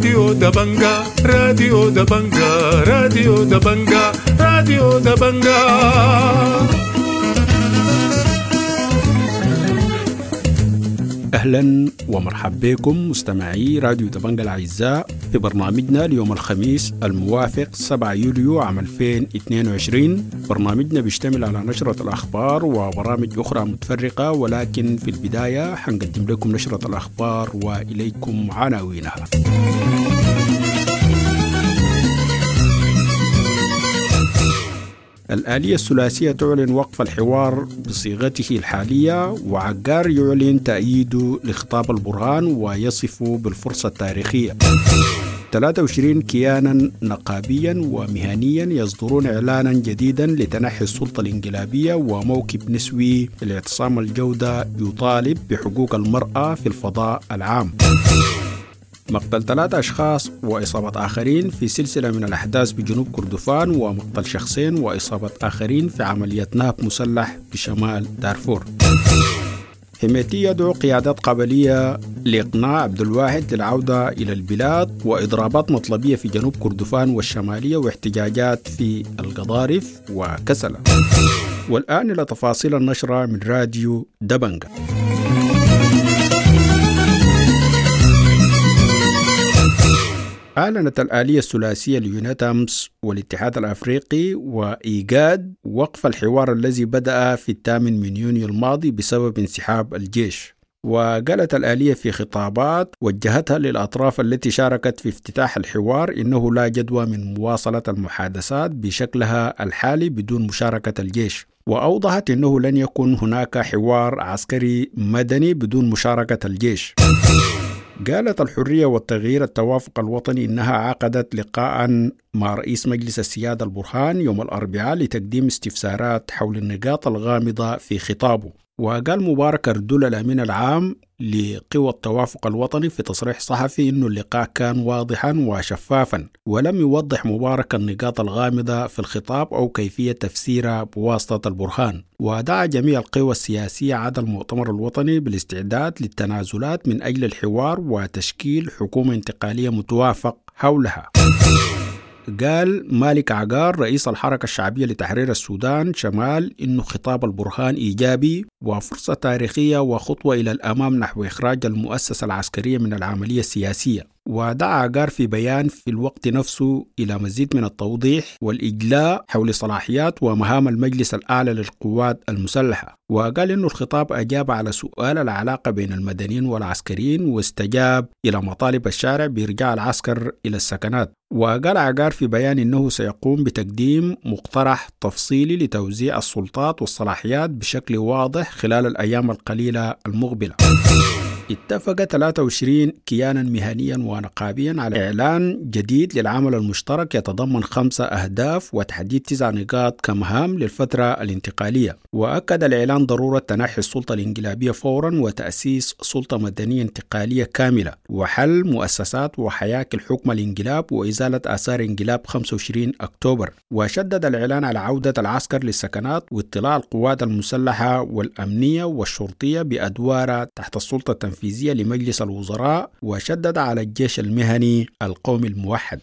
راديو دبنجا، راديو دبنجا، راديو دبنجا، راديو دبنجا. أهلا ومرحبا بكم مستمعي راديو دبنجا الأعزاء في برنامجنا ليوم الخميس الموافق 7 يوليو عام 2022. برنامجنا بيشتمل على نشرة الأخبار وبرامج أخرى متفرقة، ولكن في البداية حنقدم لكم نشرة الأخبار وإليكم عناوينها. الآلية الثلاثية تعلن وقف الحوار بصيغته الحالية، وعقار يعلن تأييده لخطاب البرهان ويصفه بالفرصة التاريخية. 23 كيانا نقابيا ومهنيا يصدرون إعلانا جديدا لتنحي السلطة الانقلابية، وموكب نسوي لاعتصام الجودة يطالب بحقوق المرأة في الفضاء العام. مقتل 3 أشخاص وإصابة آخرين في سلسلة من الأحداث بجنوب كردفان، ومقتل شخصين وإصابة آخرين في عملية نهب مسلح بشمال دارفور. حميتي يدعو قيادات قبلية لإقناع عبد الواحد للعودة إلى البلاد، وإضرابات مطلبية في جنوب كردفان والشمالية، واحتجاجات في القضارف وكسلة. والآن إلى تفاصيل النشرة من راديو دبنجا. أعلنت الآلية الثلاثية ليونيتامس والاتحاد الأفريقي وإيجاد وقف الحوار الذي بدأ في 8 يونيو الماضي بسبب انسحاب الجيش. وقالت الآلية في خطابات وجهتها للأطراف التي شاركت في افتتاح الحوار إنه لا جدوى من مواصلة المحادثات بشكلها الحالي بدون مشاركة الجيش، وأوضحت إنه لن يكون هناك حوار عسكري مدني بدون مشاركة الجيش. قالت الحرية والتغيير التوافق الوطني إنها عقدت لقاء مع رئيس مجلس السيادة البرهان يوم الأربعاء لتقديم استفسارات حول النقاط الغامضة في خطابه. وقال مبارك أردول الأمين العام لقوى التوافق الوطني في تصريح صحفي إنه اللقاء كان واضحا وشفافا، ولم يوضح مبارك النقاط الغامضة في الخطاب أو كيفية تفسيرها بواسطة البرهان. ودعا جميع القوى السياسية عدا المؤتمر الوطني بالاستعداد للتنازلات من أجل الحوار وتشكيل حكومة انتقالية متوافق حولها. قال مالك عقار رئيس الحركة الشعبية لتحرير السودان شمال إنه خطاب البرهان إيجابي وفرصة تاريخية وخطوة إلى الأمام نحو إخراج المؤسسة العسكرية من العملية السياسية. ودعا عقار في بيان في الوقت نفسه إلى مزيد من التوضيح والإجلاء حول صلاحيات ومهام المجلس الأعلى للقوات المسلحة. وقال إنه الخطاب أجاب على سؤال العلاقة بين المدنيين والعسكريين واستجاب إلى مطالب الشارع بإرجاع العسكر إلى السكنات. وقال عقار في بيان إنه سيقوم بتقديم مقترح تفصيلي لتوزيع السلطات والصلاحيات بشكل واضح خلال الأيام القليلة المقبلة. اتفق 23 كيانا مهنيا ونقابيا على إعلان جديد للعمل المشترك يتضمن 5 أهداف وتحديد 9 نقاط كمهام للفترة الانتقالية. وأكد الإعلان ضرورة تنحي السلطة الانقلابية فورا وتأسيس سلطة مدنية انتقالية كاملة وحل مؤسسات وحياكل حكم الانقلاب وإزالة آثار انقلاب 25 أكتوبر. وشدد الإعلان على عودة العسكر للسكنات واطلاع القوات المسلحة والأمنية والشرطية بأدوارها تحت السلطة التنفيذية لمجلس الوزراء، وشدد على الجيش المهني القومي الموحد.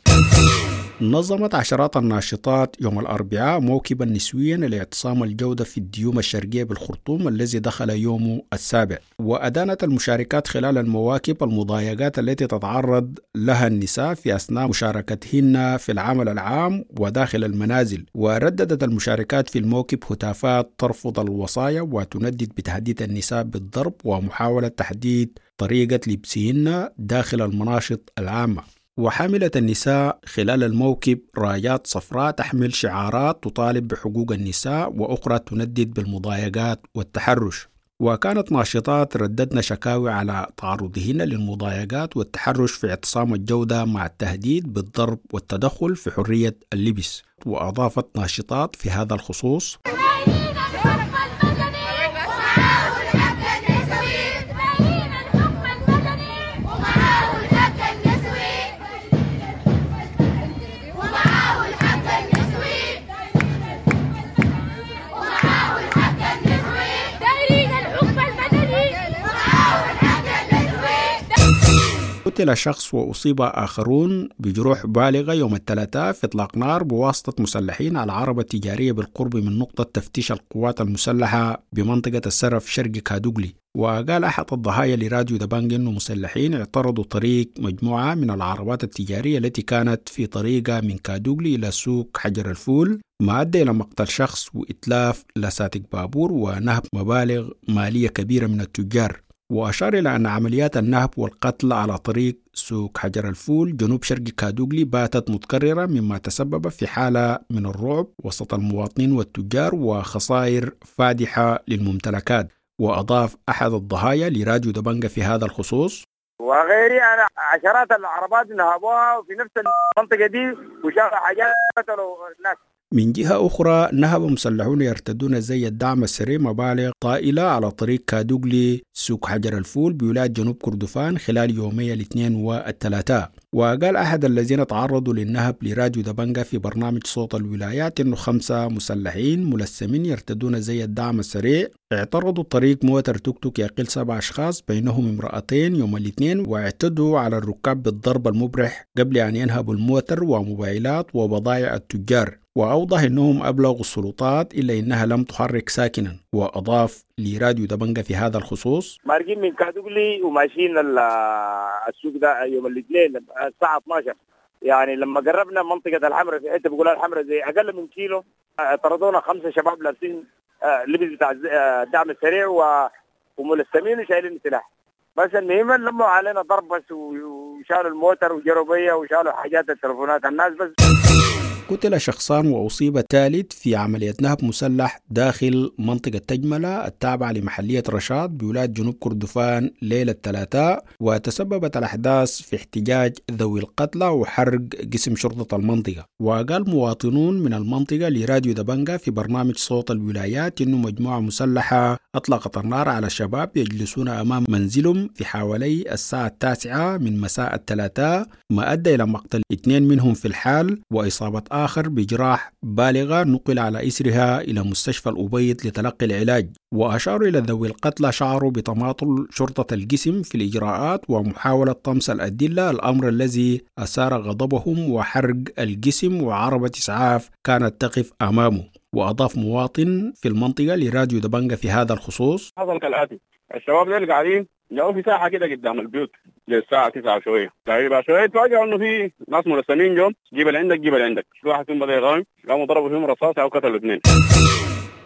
نظمت عشرات الناشطات يوم الأربعاء موكبا نسويا لاعتصام الجودة في الديوم الشرقية بالخرطوم الذي دخل يومه السابع. وأدانت المشاركات خلال المواكب المضايقات التي تتعرض لها النساء في أثناء مشاركتهن في العمل العام وداخل المنازل. ورددت المشاركات في الموكب هتافات ترفض الوصايا وتندد بتهديد النساء بالضرب ومحاولة تحديد طريقة لبسهن داخل المناشط العامة. وحملت النساء خلال الموكب رايات صفراء تحمل شعارات تطالب بحقوق النساء وأخرى تندد بالمضايقات والتحرش. وكانت ناشطات رددن شكاوي على تعرضهن للمضايقات والتحرش في اعتصام الجودة مع التهديد بالضرب والتدخل في حرية اللبس. وأضافت ناشطات في هذا الخصوص: قتل شخص وأصيب آخرون بجروح بالغة يوم الثلاثاء في إطلاق نار بواسطة مسلحين على عربة تجارية بالقرب من نقطة تفتيش القوات المسلحة بمنطقة السرف شرق كادوغلي. وقال أحد الضحايا لراديو دبنج أنه مسلحين اعترضوا طريق مجموعة من العربات التجارية التي كانت في طريقها من كادوغلي إلى سوق حجر الفول، ما أدى إلى مقتل شخص وإتلاف لساتك بابور ونهب مبالغ مالية كبيرة من التجار. وأشار إلى أن عمليات النهب والقتل على طريق سوق حجر الفول جنوب شرق كادوغلي باتت متكررة، مما تسبب في حالة من الرعب وسط المواطنين والتجار وخسائر فادحة للممتلكات. وأضاف أحد الضحايا لراديو دبنجة في هذا الخصوص: وغيري أنا عشرات العربات نهبوها في نفس المنطقة دي وشافوا حاجات قتلوا الناس. من جهة أخرى، نهب مسلحون يرتدون زي الدعم السريع مبالغ طائلة على طريق كادوغلي سوق حجر الفول بولاية جنوب كردفان خلال يومي الاثنين والثلاثاء. وقال أحد الذين تعرضوا للنهب لراديو دبنجة في برنامج صوت الولايات إنه 5 مسلحين ملثمين يرتدون زي الدعم السريع اعترضوا طريق موتر توك توك يقل 7 أشخاص بينهم امرأتين يوم الاثنين، واعتدوا على الركاب بالضرب المبرح قبل أن ينهبوا الموتر وموبايلات وبضائع التجار. وأوضح أنهم أبلغوا السلطات إلا أنها لم تحرك ساكنا. وأضاف لراديو دبنجة في هذا الخصوص: مارقين من كادوغلي وماشيين السوق ده يوم الاثنين الساعة 12، يعني لما قربنا منطقة الحمراء في حتة بيقولها الحمراء زي أقل من كيلو، طردونا 5 شباب لابسين لبس بتاع الدعم السريع وملثمين وشايلين سلاح. بس المهم لموا علينا ضرب بس وشالوا الموتر وجروا بيا وشالوا حاجات التلفونات الناس بس. قتل شخصان وأصيب ثالث في عملية نهب مسلح داخل منطقة تجملة التابعة لمحلية رشاد بولاية جنوب كردفان ليلة الثلاثاء، وتسببت الأحداث في احتجاج ذوي القتلى وحرق قسم شرطة المنطقة. وقال مواطنون من المنطقة لراديو دبنجة في برنامج صوت الولايات إنه مجموعة مسلحة أطلقت النار على شباب يجلسون أمام منزلهم في حوالي الساعة 9 من مساء الثلاثاء، ما أدى إلى مقتل 2 منهم في الحال وإصابة آخر بجراح بالغة نقل على إثرها إلى مستشفى الأبيض لتلقي العلاج. وأشاروا إلى ذوي القتلى شعروا بتماطل شرطة الجسم في الإجراءات ومحاولة طمس الأدلة، الأمر الذي أثار غضبهم وحرق الجسم وعربة إسعاف كانت تقف أمامه. وأضاف مواطن في المنطقة لراديو دبنجة في هذا الخصوص: حصل كالآتي، الشباب دول قاعدين جو في ساحة كده قدام البيوت للساعة 9 شوية تقريبا شوية، تفاجئوا إنه في ناس ملثمين جم، جيب اللي عندك جيب اللي عندك، في واحد فيهم بدأ يغامر، قاموا ضربوا فيهم رصاص أو قتلوا 2.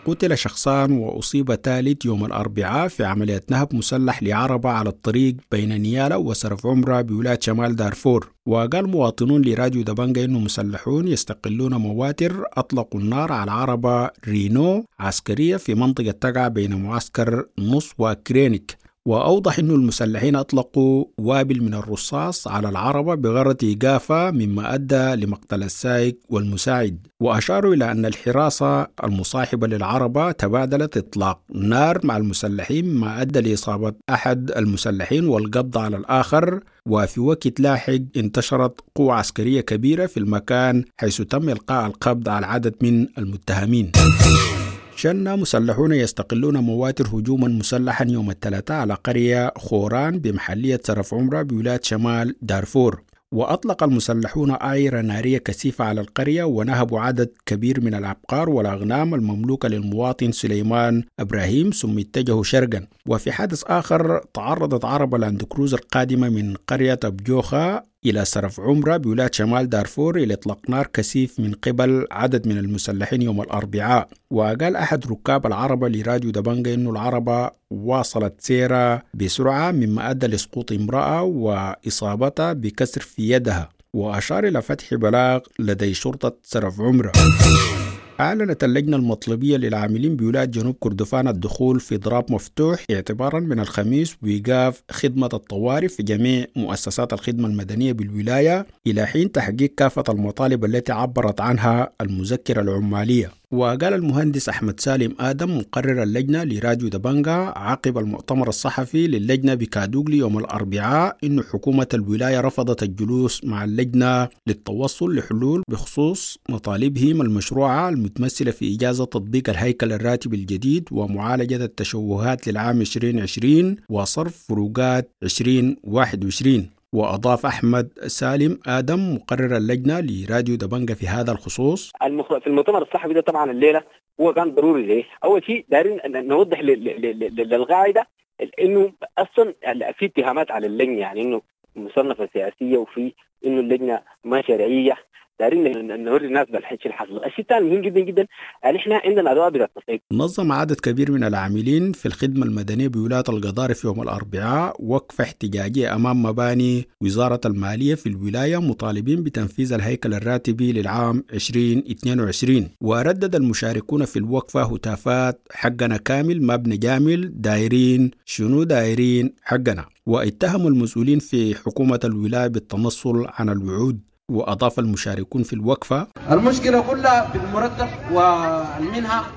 قتل شخصان وأصيب ثالث يوم الأربعاء في عملية نهب مسلح لعربة على الطريق بين نيالا وسرف عمرة بولاية شمال دارفور. وقال مواطنون لراديو دبنجة إنه مسلحون يستقلون مواتر أطلقوا النار على عربة رينو عسكرية في منطقة تقع بين معسكر نص وكرينيك. وأوضح أن المسلحين أطلقوا وابل من الرصاص على العربة بغرض إيقافها، مما أدى لمقتل السائق والمساعد. وأشاروا إلى أن الحراسة المصاحبة للعربة تبادلت إطلاق نار مع المسلحين، ما أدى لإصابة أحد المسلحين والقبض على الآخر. وفي وقت لاحق انتشرت قوة عسكرية كبيرة في المكان، حيث تم إلقاء القبض على عدد من المتهمين. شن مسلحون يستقلون مواتر هجوما مسلحا يوم الثلاثاء على قرية خوران بمحلية سرف عمرة بولاية شمال دارفور. وأطلق المسلحون أعيرة نارية كثيفة على القرية ونهبوا عدد كبير من الأبقار والأغنام المملوكة للمواطن سليمان إبراهيم، ثم اتجهوا شرقا. وفي حادث آخر تعرضت عربة لاند كروزر قادمة من قرية أبجوخة إلى سرف عمرة بولاية شمال دارفور إلى إطلاق نار كثيف من قبل عدد من المسلحين يوم الأربعاء. وقال أحد ركاب العربة لراديو دبنجة إنه العربة واصلت سيرها بسرعة، مما أدى لسقوط امرأة وإصابتها بكسر في يدها. وأشار إلى فتح بلاغ لدي شرطة سرف عمرة. أعلنت اللجنة المطلبية للعاملين بولاية جنوب كردفان الدخول في إضراب مفتوح اعتبارا من الخميس وإيقاف خدمة الطوارئ في جميع مؤسسات الخدمة المدنية بالولاية إلى حين تحقيق كافة المطالب التي عبرت عنها المذكرة العمالية. وقال المهندس أحمد سالم آدم مقرر اللجنة لراديو دبنجة عقب المؤتمر الصحفي للجنة بكادوغلي يوم الأربعاء إن حكومة الولاية رفضت الجلوس مع اللجنة للتوصل لحلول بخصوص مطالبهم المشروعة المتمثلة في إجازة تطبيق الهيكل الراتبي الجديد ومعالجة التشوهات للعام 2020 وصرف فروقات 2021. وأضاف أحمد سالم آدم مقرر اللجنة لراديو دبنجة في هذا الخصوص: في المؤتمر الصحفي ده طبعا الليلة هو كان ضروري ليه؟ أول شيء دارين نوضح للقاعدة إنه أصلا في اتهامات على اللجنة، يعني إنه مصنفة سياسية وفي إنه اللجنة ما شرعية. دارين نوري الناس بالحكي اللي حصل. الشيء الثاني مهم جدا جدا ان احنا عندنا ادوات بالتصعيد. نظم عدد كبير من العاملين في الخدمة المدنية بولاية القضارف يوم الأربعاء وقفة احتجاجية أمام مباني وزارة المالية في الولاية، مطالبين بتنفيذ الهيكل الراتبي للعام 2022. وردد المشاركون في الوقفة هتافات حقنا كامل ما بنجامل، دايرين شنو دايرين حقنا. واتهموا المسؤولين في حكومة الولاية بالتنصل عن الوعود. وأضاف المشاركون في الوقفة: المشكلة كلها في المرتب والمنحة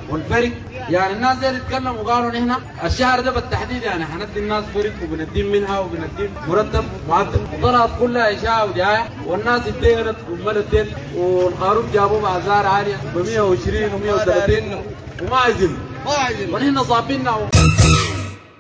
والفرق، يعني الناس اللي اتكلموا وقالوا نحن الشهر ده بالتحديد يعني حندي الناس فرق وبنديهم منها وبنديهم مرتب معدل، وطلعت كلها إشاعة ودعاية والناس اتدينت وملت دين، والخروف جابوه بأسعار عالية ب 120 و130 وما عايزين ونحن صابيننا.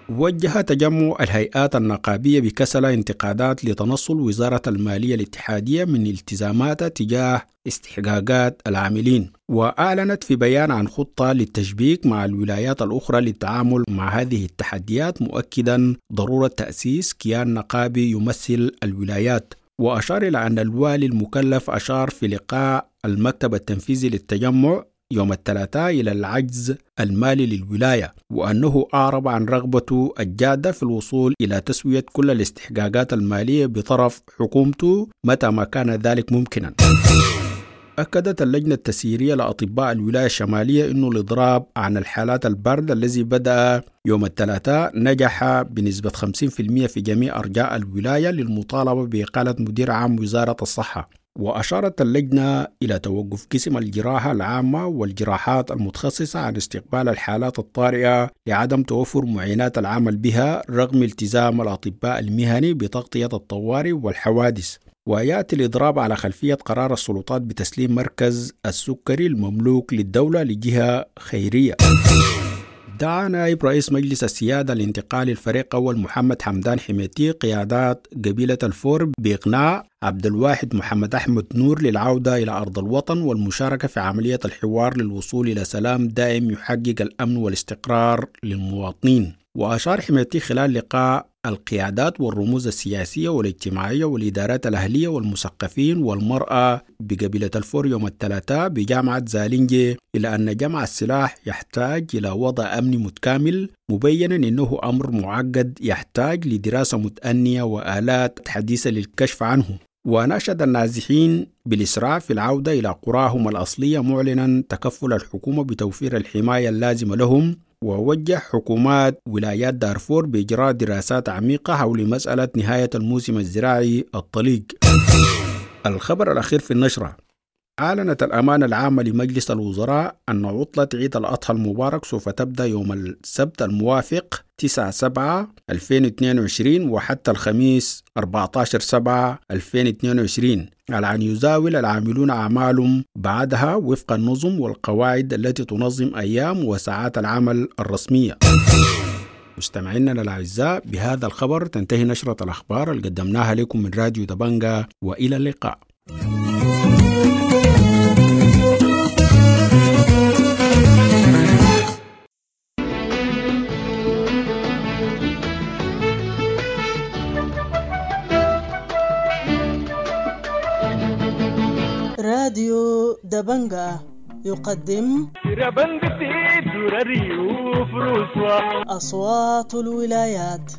وجه تجمع الهيئات النقابية بكسلة انتقادات لتنصل وزارة المالية الاتحادية من التزاماتها تجاه استحقاقات العاملين، وأعلنت في بيان عن خطة للتشبيك مع الولايات الأخرى للتعامل مع هذه التحديات، مؤكدا ضرورة تأسيس كيان نقابي يمثل الولايات. وأشار إلى أن الوالي المكلف أشار في لقاء المكتب التنفيذي للتجمع يوم الثلاثاء إلى العجز المالي للولاية، وأنه أعرب عن رغبته الجادة في الوصول إلى تسوية كل الاستحقاقات المالية بطرف حكومته متى ما كان ذلك ممكنا. أكدت اللجنة التسييرية لأطباء الولاية الشمالية أنه الإضراب عن الحالات الباردة الذي بدأ يوم الثلاثاء نجح بنسبة 50% في جميع أرجاء الولاية للمطالبة بإقالة مدير عام وزارة الصحة. وأشارت اللجنة إلى توقف قسم الجراحة العامة والجراحات المتخصصة عن استقبال الحالات الطارئة لعدم توفر معينات العمل بها رغم التزام الأطباء المهني بتغطية الطوارئ والحوادث. ويأتي الإضراب على خلفية قرار السلطات بتسليم مركز السكري المملوك للدولة لجهة خيرية. دعا نائب رئيس مجلس السيادة الانتقالي الفريق أول محمد حمدان حميتي قيادات قبيلة الفور بإقناع عبد الواحد محمد أحمد نور للعودة إلى أرض الوطن والمشاركة في عملية الحوار للوصول إلى سلام دائم يحقق الأمن والاستقرار للمواطنين. وأشار حميتي خلال لقاء القيادات والرموز السياسية والاجتماعية والإدارات الأهلية والمثقفين والمرأة بقبيلة الفور يوم الثلاثاء بجامعة زالينجي إلى أن جمع السلاح يحتاج إلى وضع أمني متكامل، مبينا أنه أمر معقد يحتاج لدراسة متأنية وآلات حديثة للكشف عنه. وناشد النازحين بالإسراع في العودة إلى قراهم الأصلية، معلنا تكفل الحكومة بتوفير الحماية اللازمة لهم. ووجه حكومات ولايات دارفور بإجراء دراسات عميقة حول مسألة نهاية الموسم الزراعي الطليق. الخبر الأخير في النشرة: أعلنت الأمانة العامة لمجلس الوزراء أن عطلة عيد الأضحى المبارك سوف تبدأ يوم السبت الموافق 9/7/2022 وحتى الخميس 14/7/2022، على أن يزاول العاملون أعمالهم بعدها وفق النظم والقواعد التي تنظم أيام وساعات العمل الرسمية. مستمعينا الأعزاء، بهذا الخبر تنتهي نشرة الأخبار اللي قدمناها لكم من راديو دبنجا، وإلى اللقاء. راديو دبنجا يقدم أصوات الولايات.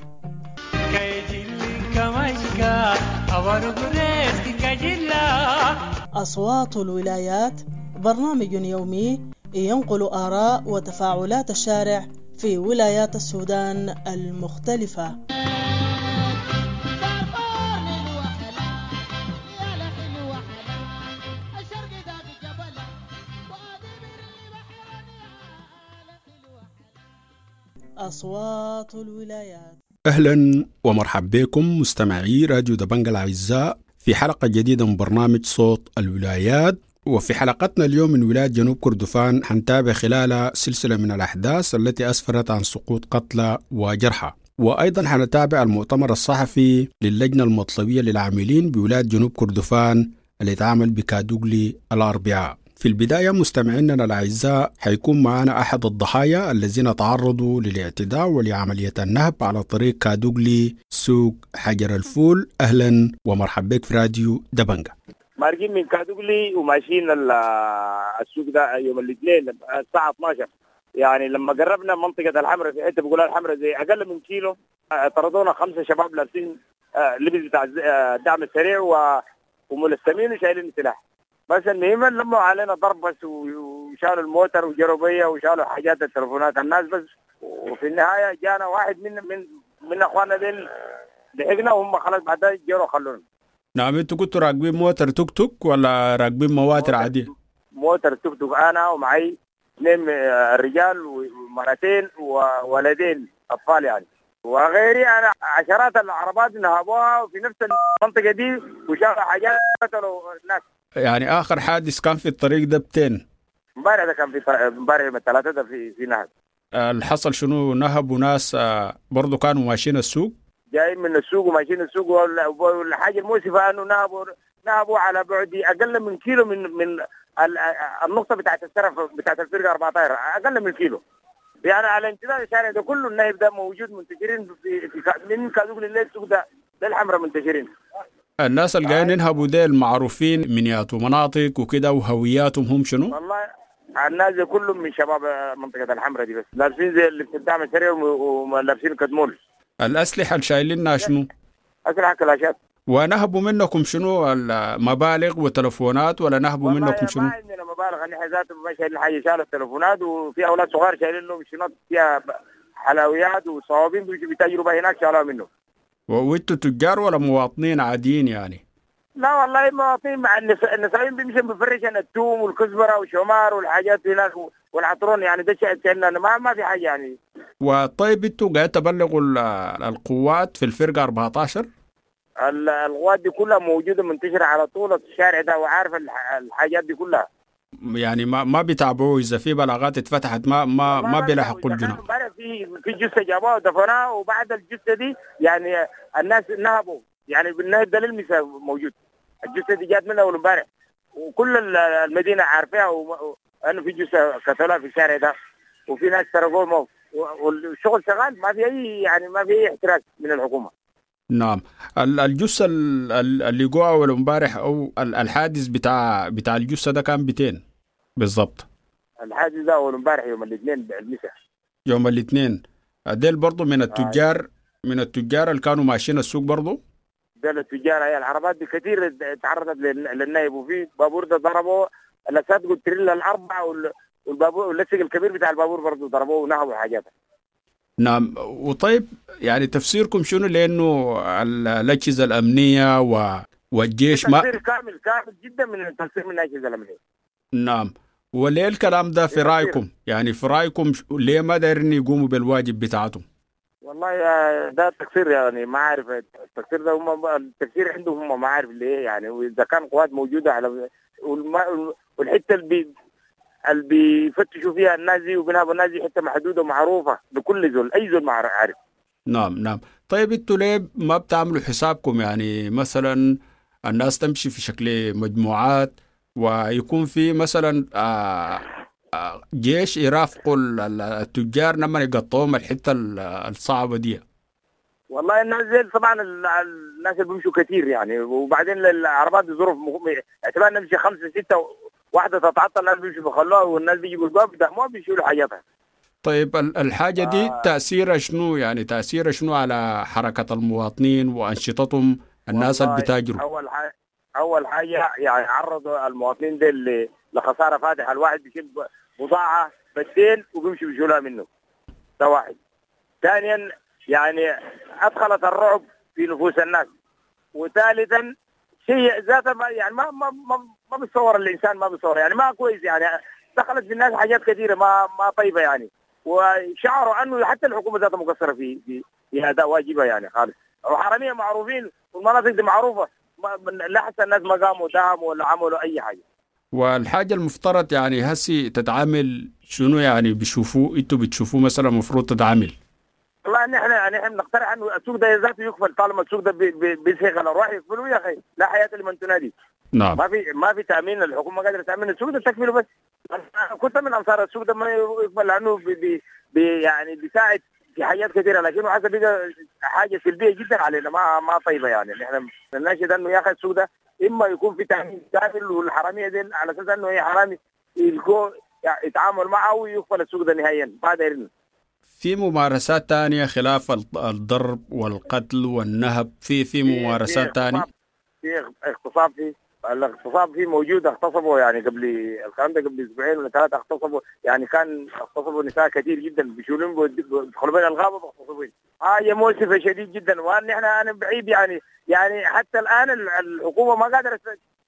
أصوات الولايات برنامج يومي ينقل آراء وتفاعلات الشارع في ولايات السودان المختلفة. أصوات الولايات. أهلا ومرحبا بكم مستمعي راديو دبنجا الأعزاء في حلقة جديدة من برنامج صوت الولايات. وفي حلقتنا اليوم من ولاية جنوب كردفان حنتابع خلالها سلسلة من الأحداث التي أسفرت عن سقوط قتلى وجرحى. وأيضا حنتابع المؤتمر الصحفي للجنة المطلبية للعاملين بولاية جنوب كردفان اللي اتعمل بكادوغلي الأربعاء. في البداية مستمعينا الأعزاء حيكون معنا أحد الضحايا الذين تعرضوا للاعتداء ولعملية النهب على طريق كادوغلي سوق حجر الفول. أهلا ومرحبا بك في راديو دبنجة. مارقين من كادوغلي وماشيين السوق ده يوم الاثنين الساعة 12. يعني لما قربنا منطقة الحمراء في حتة بيقولها الحمراء زي أقل من كيلو، طردونا 5 شباب لابسين لبس بتاع الدعم السريع وملثمين وشايلين سلاح. بس المهم لموا علينا ضرب بس، وشالوا الموتر وجروا بيا وشالوا حاجات التلفونات الناس بس. وفي النهاية جانا واحد من من من اخواننا ديل لحقنا، وهم خلاص بعدها جروا خلونا. نعم، انتوا كنتوا راكبين موتر توك توك ولا راكبين مواتر عادية؟ موتر توك توك، انا ومعي 2 رجال ومرتين وولدين اطفال يعني، وغيري انا عشرات العربات نهبوها في نفس المنطقة دي وشالوا حاجات قتلوا الناس. يعني آخر حادث كان في الطريق ده بتين؟ امبارح ده كان في امبارح يوم الثلاثاء ده في نهب. اللي حصل شنو؟ نهب وناس برضو كانوا ماشيين السوق؟ جايين من السوق وماشيين السوق، والحاجة المؤسفة أنه نهبوا على بعد أقل من كيلو من النقطة بتاعت السرف بتاعت الفرقة 14، أقل من كيلو. يعني على امتداد الشارع ده كله النهب ده موجود، منتشرين في من كادوغلي للسوق ده للحمراء منتشرين. الناس اللي جايين ينهبوا ديل معروفين من ياتوا مناطق وكده، وهوياتهم هم شنو؟ والله الناس دي كلهم من شباب منطقة الحمراء دي، بس لابسين زي اللي في الدعم السريع ولابسين كدمول. الأسلحة اللي شايلينها شنو؟ أسلحة كلاشات. ونهبوا منكم شنو؟ المبالغ وتلفونات ولا نهبوا منكم شنو؟ ما عندنا مبالغ، نحن ذاته ما شايلين حاجة، شالوا التلفونات، وفي أولاد صغار شايلين لهم شنط فيها حلويات وصوابين بيتاجروا بها هناك شالوها منهم. وانتوا تجار ولا مواطنين عاديين يعني؟ لا والله مواطنين، مع النسائين بيمشوا بفرشن الثوم والكزبره والشمار والحاجات هناك والعطرون، يعني ده شيء ما في حاجة يعني. وطيب انتوا قاعد تبلغوا القوات في الفرقة 14؟ القوات دي كلها موجودة منتشرة على طول الشارع ده، وعارفه الحاجات دي كلها. يعني ما بيتابعوا اذا في بلاغات اتفتحت ما بيلحقوا الجنود. في جثة جابوها ودفنوها، وبعد الجثة دي يعني الناس نهبوا، يعني بالنهب ده للمساء موجود. الجثة دي جات من اول امبارح، وكل المدينة عارفاها انه في جثة قتلوها في الشارع ده، وفي ناس سرقوهم، والشغل شغال، ما في اي يعني ما في اي احتراز من الحكومة. نعم، الجثة اللي جوا اول امبارح او الحادث بتاع الجثة ده كان 200 بالضبط؟ الحادث ده اول امبارح يوم الاثنين المساء. يوم الاثنين ديل برضو من التجار، من التجار اللي كانوا ماشيين السوق برضو؟ ديل التجار، هي العربات دي كثير تعرضت للنايب، وفي بابور ده ضربوه الاساتذة التريلا الاربعة، والبابور واللصق الكبير بتاع البابور برضو ضربوه ونهبوا حاجاته. نعم، وطيب يعني تفسيركم شنو لانه الاجهزة الامنية والجيش ما تفسير كامل كامل جدا من التفسير من الاجهزة الامنية. نعم، وليه الكلام ده في رايكم؟ يعني في رايكم ليه ما دايرين يقوموا بالواجب بتاعتهم؟ والله ده تقصير، يعني ما عارف التقصير ده، هم التفسير عندهم هم ما عارف ليه يعني. واذا كان قوات موجودة على والحتة اللي بيفتشوا فيها الناس دي وبنهبوا الناس دي حتة محدودة ومعروفة لكل زول، اي زول ما عارف. نعم نعم. طيب انتوا ليه ما بتعملوا حسابكم؟ يعني مثلا الناس تمشي في شكل مجموعات، ويكون في مثلا جيش يرافقوا التجار لما يقطعوهم الحتة الصعبة دي. والله الناس دي طبعا الناس اللي بيمشوا كثير يعني، وبعدين العربات ظروف اعتبار نمشي 5 6 واحدة تتعطل الناس بيمشوا بيخلوها، والناس بيجيبوا الباب بدهموها بيشيلوا حاجاتها. طيب الحاجة دي تاثيرها شنو؟ يعني تاثيرها شنو على حركة المواطنين وانشطتهم الناس اللي بتاجروا؟ اول حاجة يعني عرضوا المواطنين دي لخساره فادحة، الواحد بيشيل بضاعة بالدين وبيمشي بيشيلوها منه، ده واحد. ثانيا يعني ادخلت الرعب في نفوس الناس. وثالثا شيء ذاته يعني ما ما ما ما بيتصور الانسان، ما بيتصور يعني ما كويس، يعني دخلت في الناس حاجات كثيرة ما طيبة يعني، وشعروا انه حتى الحكومة ذاتها مقصرة في في في اداء واجبها يعني خالص. وحراميه معروفين والمناطق دي معروفة، لا حتى الناس ما قاموا دعموا ولا عملوا اي حاجة. والحاجة المفترض يعني هسي تتعامل شنو يعني بيشوفوه انتوا بتشوفوه مثلا المفروض تتعامل؟ والله والله نحن بنقترح انه السوق ده ذاته يقفل، طالما السوق ده بيسهق الارواح يقفلوه يا اخي، لا حياة لمن تنادي. نعم. ما في تامين، الحكومة قادرة تامن السوق ده تكفله بس. أنا كنت من انصار السوق ده ما يقفل لانه بي يعني بيساعد في حاجات كثيرة، لكن حسب بقى حاجة سلبية جدا علينا ما طيبة يعني. نحن بنناشد انه يا اخي السوق ده اما يكون في تامين كامل والحراميه دي على اساس انه هي حرامي يلقوا يعني يتعامل معه ويقفل السوق ده نهائيا، ما دايرين. في ممارسات تانية خلاف الضرب والقتل والنهب، في ممارسات تانية؟ في اغتصاب، في الاغتصاب فيه موجود، اغتصبوا يعني قبل الكلام ده قبل اسبوعين ولا 3 اغتصبوا، يعني كان اغتصبوا نساء كثير جدا، بيشيلون بيدخلوا بين الغابة بيغتصبون. حاجة مؤسفة شديد جدا، وان احنا انا بعيد يعني حتى الان الحكومة ما قادرة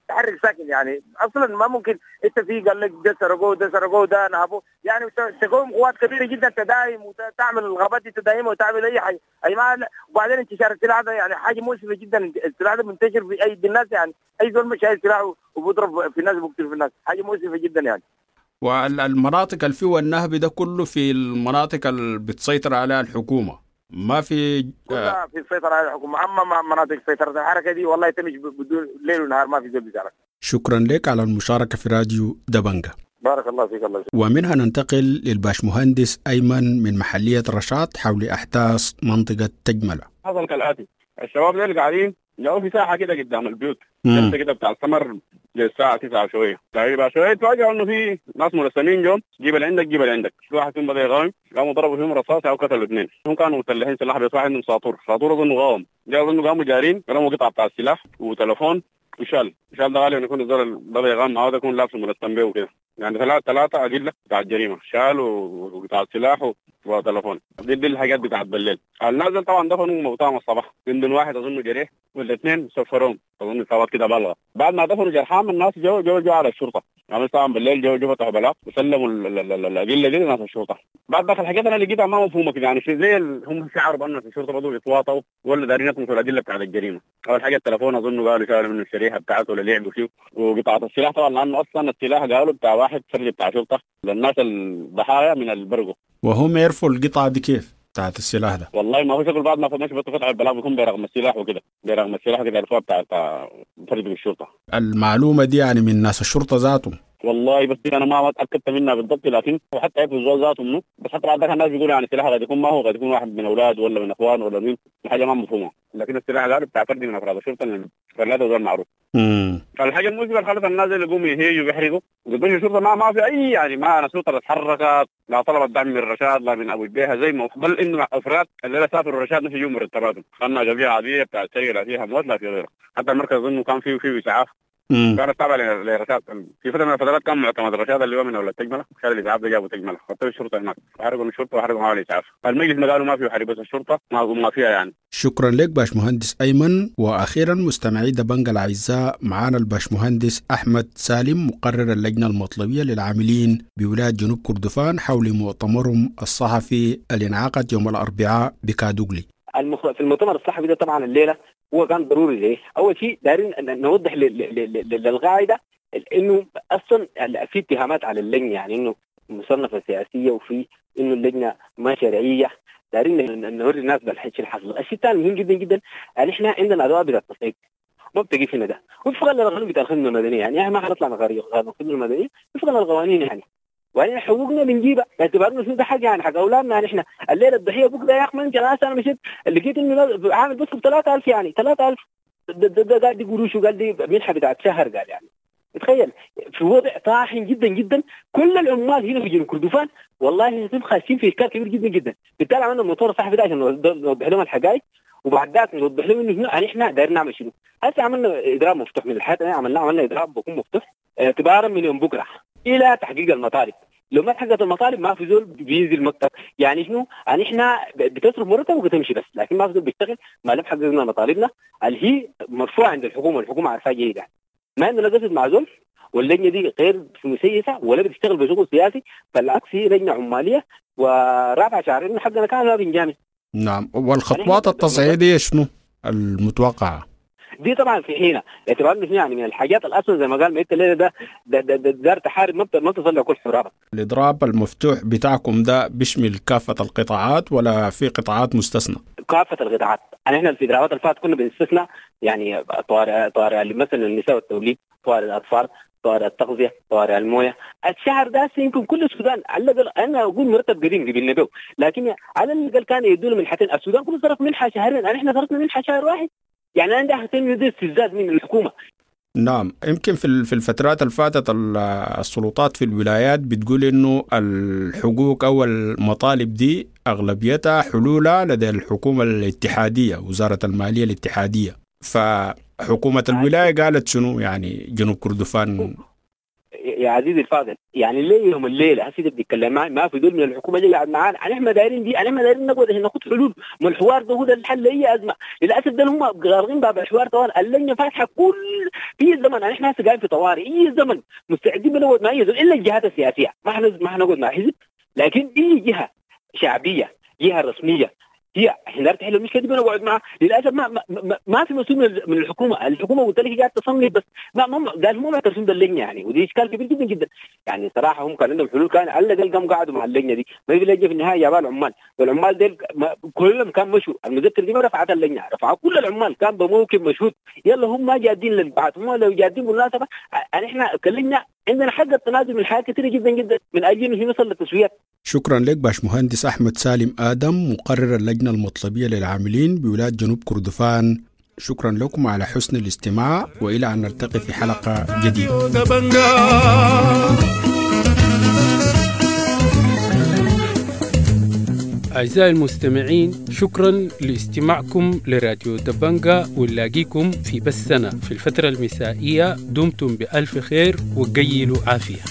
تحرك ساكن، يعني اصلا ما ممكن انت في قال لك ده سرقوه ده سرقوه ده نهبوه، يعني تقوم قوات كبيرة جدا تداهم وتعمل الغابات دي تداهمها وتعمل اي حاجة اي ما. وبعدين انتشار السلاح ده يعني حاجة مؤسفة جدا، السلاح ده منتشر في ايدي الناس، يعني اي زول مش شايل سلاح وبيضرب في الناس وبيقتل في الناس، حاجة مؤسفة جدا يعني. والمناطق اللي فيها النهب ده كله في المناطق اللي بتسيطر عليها الحكومة، ما في كلها في السيطرة على الحكومة، أما مناطق سيطرة الحركة دي والله تمشي بدون ليل ونهار ما في زول بيزعلك. شكرا لك على المشاركة في راديو دبنجة. بارك الله فيك. الله يسلمك. ومنها ننتقل للباشمهندس أيمن من محلية رشاد حول أحداث منطقة تجملة. حصل كالآتي، الشباب دول قاعدين جو في ساحة كده قدام البيوت جلسة كده بتاع السمر للساعة 9 شوية تقريبا شوية، تفاجئوا إنه في ناس ملثمين جم، جيب اللي عندك جيب اللي عندك، في واحد فيهم بدأ يغاوم، قاموا ضربوا فيهم رصاص أو قتلوا 2، هم كانوا مسلحين سلاح بس واحد منهم ساطور أظنه غاوم، جاء أظنه قاموا جارين رموا قطعة بتاع السلاح وتلفون وشال، شال ده غالبا يكون الزول بدأ يغام معاه ده يكون لابس ملثم بيه وكده، يعني 3 أدلة بتاع الجريمة، شال وقطعة سلاح وتلفون، دي الحاجات بتاعت بالليل. النازل طبعا دفنوا موتاهم الصباح، من واحد اظنه جريح والاثنين سفروهم اظن اصابات كده بالغة. بعد ما دفنوا جرحان الناس جو جو جو على الشرطة، يعني طبعا بالليل جو جو فتحوا بلاغ وسلموا الادلة دي لناس الشرطة. بعد ذاك الحاجات انا لقيتها ما مفهومه كده، يعني زي هم شعروا بان في الشرطة بدوا يتواطوا ولا دارين يطمسوا الادلة بتاعت الجريمة. اول حاجة التليفون اظنه قالوا شالوا منه الشريحة بتاعته ولا لعبوا فيه، وقطعه السلاح طبعا لانه اصلا السلاح قالوا بتاع واحد فرد بتاع شرطه للناس الضحايا من البرقو. وهم يعرفوا القطعة دي كيف بتاعت السلاح ده؟ والله ما هو شغل بعد ما فماش بس فتح البلاغ بيكون برغم السلاح وكده، برغم السلاح كده عرفوها بتاع فرد الشرطة. المعلومة دي يعني من ناس الشرطة ذاتهم؟ والله بس انا ما اتاكدت منها بالضبط، لكن وحتى عرفوا الزول ذاته منه، بس حتى بعد ذاك الناس بيقولوا يعني السلاح قد يكون ما هو قد يكون واحد من اولاده ولا من اخوانه ولا مين، حاجة ما مفهومه، لكن السلاح قالوا بتاع فرد من افراد الشرطة فلاته زول معروف. فالحاجه المؤسفة اللي خلت الناس اللي يقوموا يهيجوا ويحرقوا وقدموا الشرطة ما في اي يعني ما انا الشرطة اتحركت، لا طلبت دعم من رشاد لا من ابو جبيهه زي ما، بل انه افراد اللي سافروا رشاد مش يجوا مرتباتهم، خلنا قضية عادية بتاع السرقة لا فيها موت لا في غيره، حتى المركز اظنه كان فيه اسعاف كانت تابعه لرشاد في فترة من الفترات، كان معتمد رشاد اللي هو من اولاد تجمله، شال الاسعاف ده جابوا تجمله، حطوا الشرطة هناك، حرقوا الشرطة وحرقوا معاه الاسعاف، المجلس ما قالوا ما فيه حرب بس الشرطة ما فيها يعني. شكرا لك باشمهندس ايمن. واخيرا مستمعي دبنجة الاعزاء، معانا الباشمهندس احمد سالم مقرر اللجنة المطلبيه للعاملين بولاية جنوب كردفان حول مؤتمرهم الصحفي اللي انعقد يوم الاربعاء بكادوغلي. في المؤتمر الصحفي ده طبعا الليلة هو كان ضروري ليه؟ اول شيء دايرين نوضح للقاعدة انه اصلا في اتهامات على اللجنة، يعني انه مصنفه سياسية وفي انه اللجنة ما شرعية، دايرين نوري الناس بالحكي اللي حصل. الشيء الثاني مهم جدا جدا يعني احنا عندنا ادوات بتاعت التصعيد ما بتقف هنا ده، وفقا للقانون بتاع الخدمة المدنية، يعني احنا ما حنطلع من قانون الخدمة المدنية وفقا للقوانين يعني، وبعدين حقوقنا بنجيبها باعتبار انه ده حق يعني حق اولادنا. يعني احنا الليلة الضحية بكره يا اخي ما يمكن انا مشيت لقيت انه عامل بس ب 3000 يعني 3000 ده قاعد يقولوا شو قال دي منحه بتاعت شهر قال، يعني تخيل في وضع طاحن جدا جدا. كل العمال هنا في جنوب كردفان والله خاشين في اشكال كبير جدا جدا. بالتالي عملنا المؤتمر الصحفي ده عشان نوضح لهم الحقائق، وبعد ذاك نوضح لهم انه يعني احنا دايرين نعمل شنو. هسه عملنا اضراب مفتوح من الحياة، عملنا اضراب بكون مفتوح اعتبارا من يوم بكره الى تحقيق المطالب. لو ما تحققت المطالب ما في زول بينزل مكتب، يعني شنو؟ يعني احنا بتصرف مرتب وبتمشي بس، لكن ما في زول بيشتغل ما لم حققنا مطالبنا اللي هي مرفوعة عند الحكومة، والحكومة عارفاها جيدا. ما عندنا قصد مع زول، واللجنة دي غير مسيسه ولا بتشتغل بشغل سياسي، بالعكس هي لجنة عماليه ورافعه شعار انه حقنا كان ما بنجامل. نعم، والخطوات التصعيديه شنو المتوقعة؟ دي طبعا في حينها باعتبار انه يعني من الحاجات الاصلا زي ما قال ما انت الليلة ده ده ده, ده, دار تحارب ما بتصلح كل حرابك. الاضراب المفتوح بتاعكم ده بيشمل كافة القطاعات ولا في قطاعات مستثنى؟ كافة القطاعات، يعني احنا في الاضرابات اللي فاتت كنا بنستثنى يعني طوارئ مثلا النساء والتوليد، طوارئ الاطفال، طوارئ التغذية، طوارئ المويه، الشهر ده يمكن كل السودان على الاقل انا اقول مرتب قديم قبلنا به، لكن على الاقل كان يدونا منحتين، السودان كله صرف منحه شهرين، احنا صرفنا منحه شهر واحد. يعني انا ده استفزاز من الحكومة. نعم، يمكن في الفترات اللي فاتت السلطات في الولايات بتقول انه الحقوق او المطالب دي اغلبيتها حلولها لدى الحكومة الاتحادية، وزارة المالية الاتحادية، فحكومه الولاية قالت شنو يعني جنوب كردفان؟ يا عزيزي الفاضل، يعني ليه يوم الليلة هسه بتتكلم معي ما في دول من الحكومة اللي قاعد معانا، احنا دايرين دي، احنا دايرين نقعد عشان ناخذ حلول، ما الحوار ده هو ده الحل لاي ازمة، للاسف ده هم غارقين باب الحوار طوال، اللجنة فاتحة كل في زمن، احنا هسه قاعدين في طوارئ، اي زمن مستعدين بنقعد مع اي زول الا الجهات السياسية، ما حنقعد مع حزب، لكن اي جهة شعبية، جهة رسمية هي احنا تحل المشكلة دي بنقعد معها. للاسف ما, ما, ما في مسؤول من الحكومة، الحكومة قلت لك قاعد تصنف بس ما قال هم معترفين باللجنه يعني، ودي اشكال كبير جدا جدا يعني. صراحة هم كان عندهم حلول، كان على الاقل قاموا قعدوا مع اللجنة دي، ما في لجنة في النهاية جابها العمال، والعمال ديل كلهم كان مشوا، المذكر دي ما رفعت اللجنة، رفعوا كل العمال كان بموكب مشهود، يلا هم ما جادين للبعث، هم لو جادين بالمناسبة احنا كلجنه عندنا حق التنازل من حاجات كثيرة جدا جدا من اجل انه يوصل للتسويات. شكرا لك باشمهندس أحمد سالم آدم، مقرر اللجنة المطلبية للعاملين بولاية جنوب كردفان. شكرا لكم على حسن الاستماع، وإلى أن نلتقي في حلقة جديدة. أعزائي المستمعين، شكرا لاستماعكم لراديو دبنجا، ونلاقيكم في بثنا في الفترة المسائية. دمتم بألف خير وقيلوا عافية.